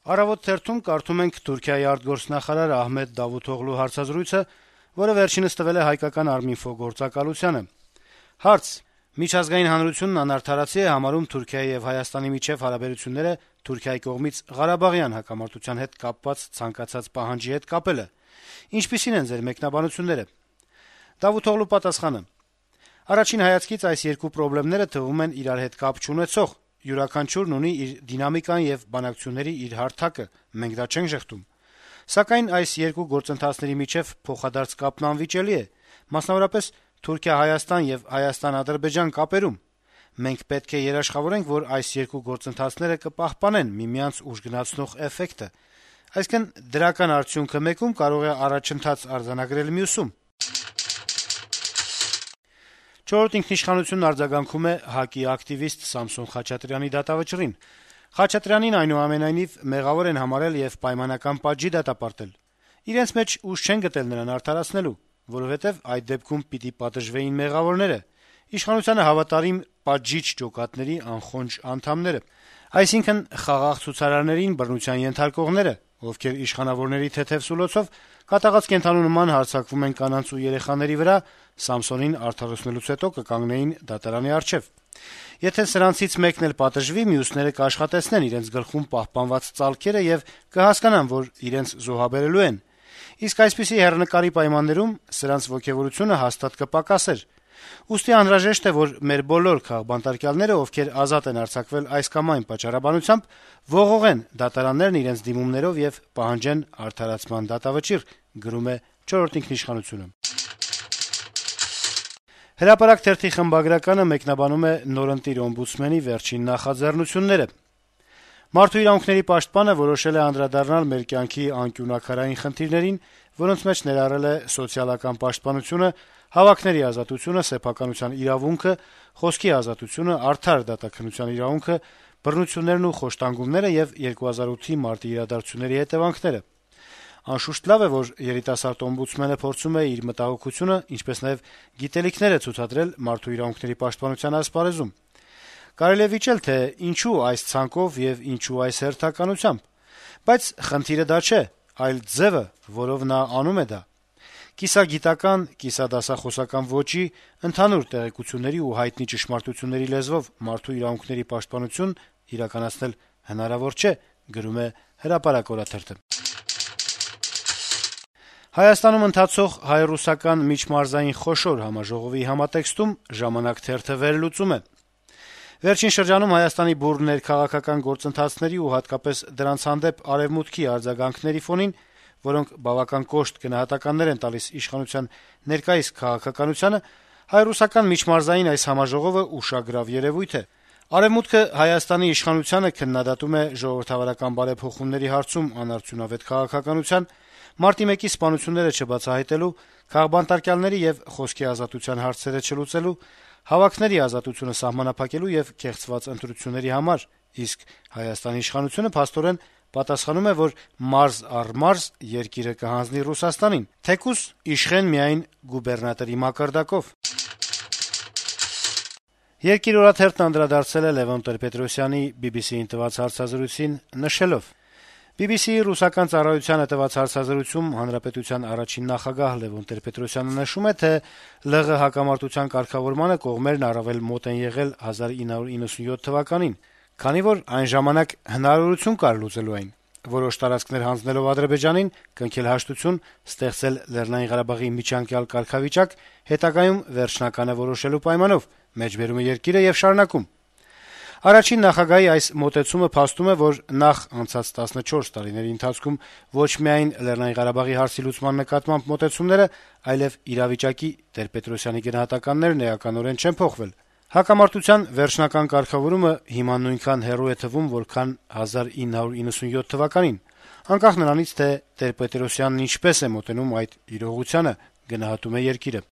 Առավոտ թերթում կարդում ենք Թուրքիայի արտգործնախարար Ահմեդ Դավութօղլու հարցազրույցը, որը վերջինս տվել է հայկական Arminfo գործակալությանը։ Հարց. Միջազգային հանրությունն անարդարացի է համարում Թուրքիայի եւ Հայաստանի միջեւ հարաբերությունները Թուրքիայի կողմից Ղարաբաղյան հակամարտության հետ կապված ցանկացած պահանջի հետ կապելը։ Ինչպիսին են ձեր մեկնաբանությունները։ Դավութօղլու պատասխանը. Առաջին հայացքից այս երկու խնդիրները թվում են իրար հետ կապ չունեցող։ Յուրաքանչյուրն ունի իր դինամիկան եւ բանակցությունների իր հարթակը, մենք դա չենք ժխտում։ Սակայն այս երկու գործընթացների միջեւ փոխադարձ կապն անվիճելի է, մասնավորապես Թուրքիա-Հայաստան եւ Հայաստան-Ադրբեջան կապերում։ Մենք պետք է երաշխավորենք, որ այս երկու գործընթացները կպահպանեն միմյանց ուժգնացնող էֆեկտը, այսինքն դրական արդյունքը մեկում կարող է առաջընթաց արձանագրել մյուսում։ Չորրորդ ինքնիշխանությունն արձագանքում է ՀԱԿ-ի ակտիվիստ Սամսոն Խաչատրյանի դատավճռին։ Խաչատրյանին այնուամենայնիվ մեղավոր են համարել եւ պայմանական պատժի դատապարտել։ Իրենց մեջ ուժ չեն գտել նրան արդարացնելու, որովհետեւ այդ դեպքում պիտի պատժվեին մեղավորները, իշխանությանը հավատարիմ պատժիչ ջոկատների անխոնջ անդամները, այսինքն խաղաղ ցուցարարներին բռնության ենթարկողները, ովքեր իշխանավորների թեթեւ սուլոցով կատաղած կենդանու նման հարձակվում են կանանց ու երեխաների վրա, Սամսոնին արդարացնելուց հետո կկանգնեին դատարանի առջեւ։ Եթե սրանցից մեկն էլ պատժվի, մյուսները կաշխատեցնեն իրենց գլխում պահպանված ծալքերը եւ կհասկանան, որ իրենց զոհաբերելու են։ Իսկ այսպիսի հեռանկարի պայմաններում սրանց ոգևորությունը հաստատ կպակասեր։ Ուստի անհրաժեշտ է, որ մեր բոլոր քաղբանտարկյալները, ովքեր ազատ են արձակվել այս կամ այն պատճառաբանությամբ, ողողեն դատարաններն իրենց դիմումներով եւ պահանջեն արդարացման դատավճիռ, գրում է Չորրորդ ինքնիշխանությունը։ Հրապարակ թերթի խմբագրականը մեկնաբանում է նորընտիր օմբուդսմենի վերջին նախաձեռնությունները։ Մարդու իրավունքների պաշտպանը որոշել է անդրադառնալ մեր կյանքի անկյունաքարային խնդիրներին, որոնց մեջ ներառել է սոցիալական պաշտպանությունը, հավաքների ազատությունը, սեփականության իրավունքը, խոսքի ազատությունը, արդար դատաքննության իրավունքը, բռնություններն ու խոշտանգումները եւ 2008-ի մարտի իրադարձությունների հետեւանքները։ Անշուշտ լավ է, որ երիտասարդ օմբուդսմենը փորձում է իր մտահոգությունը, ինչպես նաեւ գիտելիքները ցուցադրել մարդու իրավունքների պաշտպանության ասպարեզում։ Կարելի է վիճել, թե ինչու այս ցանկով եւ ինչու այս հերթականությամբ, բայց խնդիրը դա չէ, այլ ձևը, որով նա անում է դա։ Կիսագիտական, կիսադասախոսական ոճի, ընդհանուր տեղեկությունների ու հայտնի ճշմարտությունների լեզվով մարդու իրավունքների պաշտպանություն իրականացնել հնարավոր չէ, գրում է Հրապարակ օրաթերթը։ Հայաստանում ընթացող հայ-ռուսական միջմարզային խոշոր համաժողովի համատեքստում «Ժամանակ» թերթը վերլուծում է. Վերջին շրջանում Հայաստանի բուռն ներքաղաքական գործընթացների ու հատկապես դրանց հանդեպ Արեւմուտքի արձագանքների ֆոնին, որոնք բավական կոշտ գնահատականներ են տալիս իշխանության ներկայիս քաղաքականությանը, հայ-ռուսական միջմարզային այս համաժողովը ուշագրավ երեւույթ է։ Արեւմուտքը Հայաստանի իշխանությանը քննադատում է ժողովրդավարական բարեփոխումների հարցում անարդյունավետ քաղաքականության, Մարտի 1-ի սպանությունները չբացահայտելու, քաղբանտարկյալների եւ խոսքի ազատության հարցերը չլուծելու, հավաքների ազատությունը սահմանափակելու եւ կեղծված ընտրությունների համար, իսկ Հայաստանի իշխանությունը փաստորեն պատասխանում է, որ մարզ առ մարզ երկիրը կհանձնի Ռուսաստանին, թեկուզ իշխեն միայն գուբերնատորի մակարդակով։ Երկիր օրաթերթն անդրադարձել է Լևոն Տեր-Պետրոսյանի BBC-ին տված հարցազրույցին, նշելով. BBC-ի ռուսական ծառայությանը տված հարցազրույցում հանրապետության առաջին նախագահ Լևոն Տեր-Պետրոսյանը նշում է, թե ԼՂ հակամարտության կարգավորմանը կողմերն առավել մոտ են եղել 1997 թվականին, քանի որ այն ժամանակ հնարավորություն կար լուծելու այն, որոշ տարածքներ հանձնելով Ադրբեջանին, կնքել հաշտություն, ստեղծել Լեռնային Ղարաբաղի միջանկյալ կարգավիճակ, հետագայում վերջնականը որոշելու պայմանով, մեջբերում է երկիրը եւ շարունակում։ Առաջին նախագահի այս մոտեցումը փաստում է, որ նախ անցած 14 տարիների ընթացքում ոչ միայն Լեռնային Ղարաբաղի հարցի լուծման նկատմամբ մոտեցումները, այլև իրավիճակի Տեր-Պետրոսյանի գնահատականներն էականորեն չեն փոխվել։ Հակամարտության վերջնական կարգավորումը հիմա նույնքան հեռու է թվում, որքան 1997 թվականին, անկախ նրանից, թե Տեր-Պետրոսյանն ինչպես է մոտենում այդ իրողությանը, գնահատում է երկիրը։